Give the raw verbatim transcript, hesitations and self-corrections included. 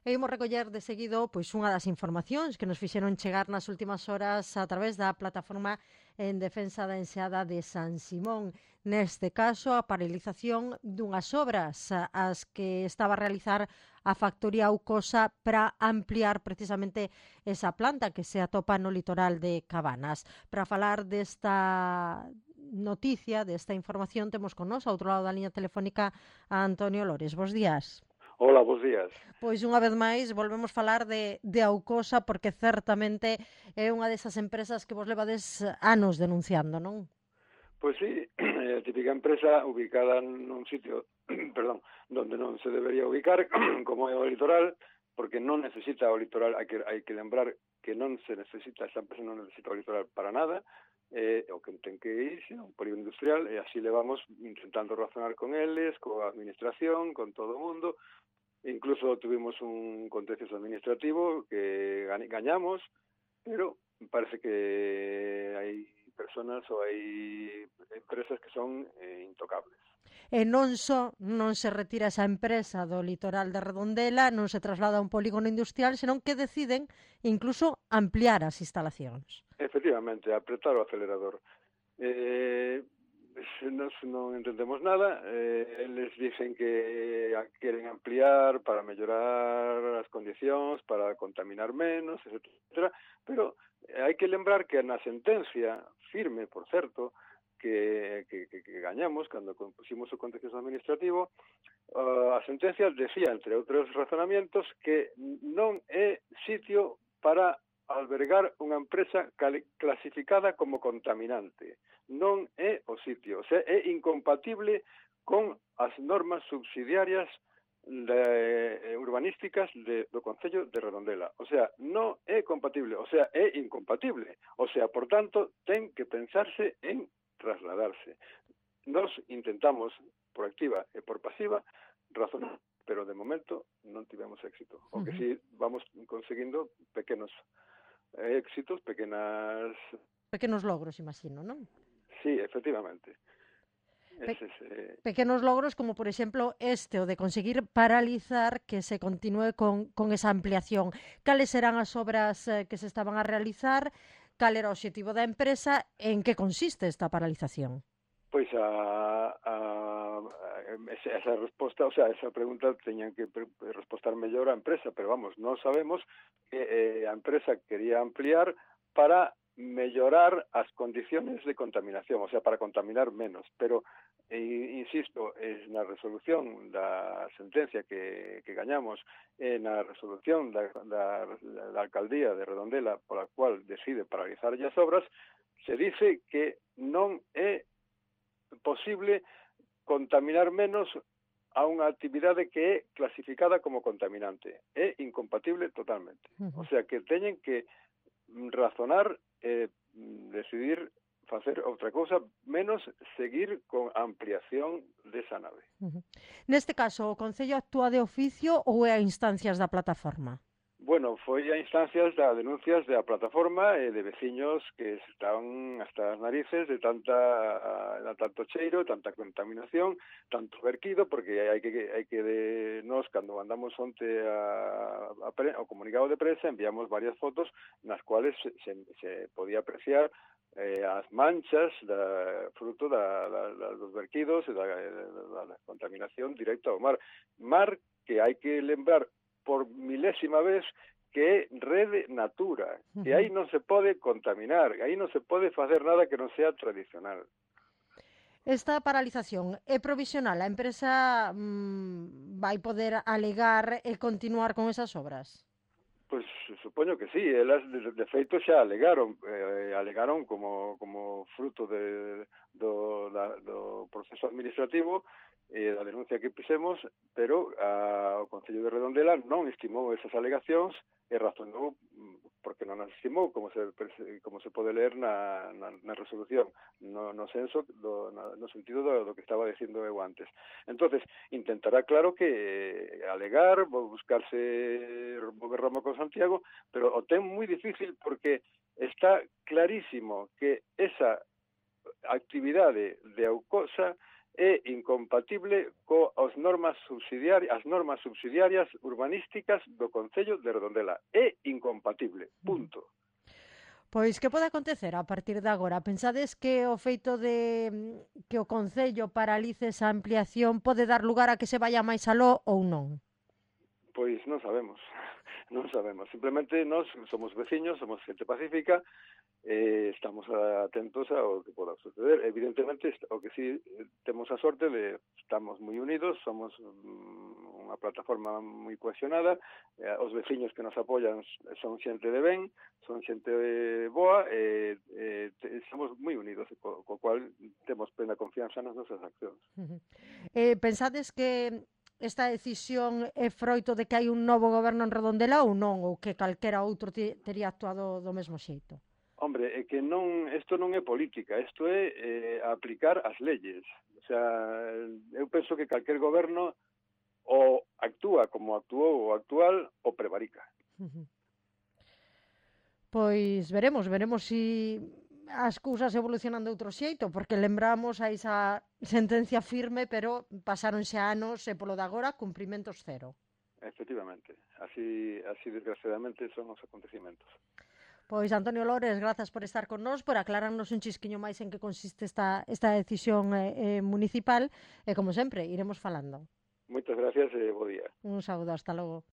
E imos recoller de seguido pois unha das informacións que nos fixeron chegar nas últimas horas a través da plataforma en defensa da enseada de San Simón. Neste caso, a paralización dunhas obras as que estaba a realizar a factoría Aucosa para ampliar precisamente esa planta que se atopa no litoral de Cabanas. Para falar desta noticia, desta información, temos con nós, ao outro lado da liña telefónica, a Antonio Lores. Bos días. Hola, bos días. Pois unha vez máis volvemos falar de, de Aucosa porque certamente é unha desas empresas que vos levades anos denunciando, non? Pois sí, é a típica empresa ubicada nun sitio, perdón, donde non se debería ubicar, como é o litoral, porque non necesita o litoral, hai que, hai que lembrar que non se necesita, esa empresa non necesita o litoral para nada, eh, o que ten que irse, un polígono industrial, e así levamos intentando razonar con eles, coa administración, con todo o mundo. Incluso tuvimos un contencioso administrativo que gañamos, pero parece que hai personas ou hai empresas que son eh, intocables. E non só non se retira esa empresa do litoral de Redondela, non se traslada a un polígono industrial, senón que deciden incluso ampliar as instalacións. Efectivamente, apretar o acelerador. Eh, nos non entendemos nada, eh, eles dicen que queren ampliar para mellorar as condicións, para contaminar menos, etcétera, pero hai que lembrar que na sentencia firme, por certo, que, que, que, que gañamos cando compusimos o contencioso administrativo, uh, a sentencia decía, entre outros razonamientos, que non é sitio para albergar unha empresa clasificada como contaminante. Non é o sitio, o sea, é incompatible con as normas subsidiarias de, urbanísticas de, do Concello de Redondela. O sea, non é compatible, o sea, é incompatible. O sea, por tanto, ten que pensarse en trasladarse. Nos intentamos, por activa e por pasiva, razonar, pero de momento non tivemos éxito. O que sí vamos conseguindo pequenos éxitos, pequenas... Pequenos logros, imagino, non? Sí, efectivamente. Pe Ese, ese... Pequenos logros como, por exemplo, este, o de conseguir paralizar que se continúe con, con esa ampliación. Cales serán as obras eh, que se estaban a realizar? Cal era o objetivo da empresa? En que consiste esta paralización? Pois a, a, a esa resposta, o sea, esa pregunta teñan que responder mellor a empresa, pero vamos, non sabemos que eh, a empresa quería ampliar para mellorar as condiciones de contaminación, o sea, para contaminar menos, pero eh, insisto, es na resolución da sentencia que, que gañamos, e na resolución da, da, da alcaldía de Redondela pola cual decide paralizar as obras, se dice que non é posible contaminar menos a unha actividade que é clasificada como contaminante. É incompatible totalmente. Uh-huh. O sea, que teñen que razonar e eh, decidir facer outra cousa, menos seguir con a ampliación desa nave. Uh-huh. Neste caso, o Concello actúa de oficio ou é a instancias da plataforma? Bueno, foi a instancias da denuncias da plataforma e de veciños que estaban hasta as narices de tanta de tanto cheiro, tanta contaminación, tanto verquido, porque hai que hai que de nós cando mandamos onte a, a pre, ao comunicado de prensa enviamos varias fotos nas cuales se, se, se podía apreciar eh, as manchas da fruto da, da, da dos verquidos e da, da, da contaminación directa ao mar. Mar que hai que lembrar por milésima vez que é rede natura, que aí non se pode contaminar, aí non se pode facer nada que non sea tradicional. Esta paralización é provisional? A empresa mmm, vai poder alegar e continuar con esas obras? Pois supoño que sí, elas de, de feito xa alegaron, eh, alegaron como, como fruto de, do, da, do proceso administrativo e da denuncia que fixemos, pero a, o Concello de Redondela non estimou esas alegacións e razonou porque non as estimou, como se como se pode ler na, na, na resolución, no, no senso do, na, no sentido do, do que estaba dicindo eu antes. Entonces, intentará claro que eh, alegar, buscarse mover Roma con Santiago, pero o ten moi difícil porque está clarísimo que esa actividade de Aucosa é incompatible coas normas subsidiarias, as normas subsidiarias urbanísticas do Concello de Redondela. É incompatible, punto. Pois que pode acontecer a partir de agora? Pensades que o feito de que o Concello paralice esa ampliación pode dar lugar a que se vaya máis aló ou non? Pois non sabemos, non sabemos. Simplemente nós somos veciños, somos xente pacífica, eh, estamos atentos ao que poda suceder. Evidentemente, o que sí temos a sorte de estamos moi unidos, somos um, unha plataforma moi cohesionada, eh, os veciños que nos apoian son xente de ben, son xente boa, e eh, eh, estamos moi unidos, co, co cual temos plena confianza nas nosas accións. Uh-huh. Eh, pensades que esta decisión é froito de que hai un novo goberno en Redondela ou non, ou que calquera outro tería actuado do mesmo xeito? Hombre, é que non, isto non é política, isto é eh, aplicar as leyes. O sea, eu penso que calquer goberno o actúa como actuou o actual ou prevarica. Uh-huh. Pois veremos, veremos si as cousas evolucionan de outro xeito, porque lembramos a esa sentencia firme, pero pasaronse anos e polo de agora cumprimentos cero. Efectivamente, así, así desgraciadamente son os acontecimentos. Pois Antonio Lores, grazas por estar con nós, por aclararnos un chisquiño máis en que consiste esta, esta decisión eh, municipal, e como sempre, iremos falando. Moitas gracias e bo día. Un saúdo, hasta logo.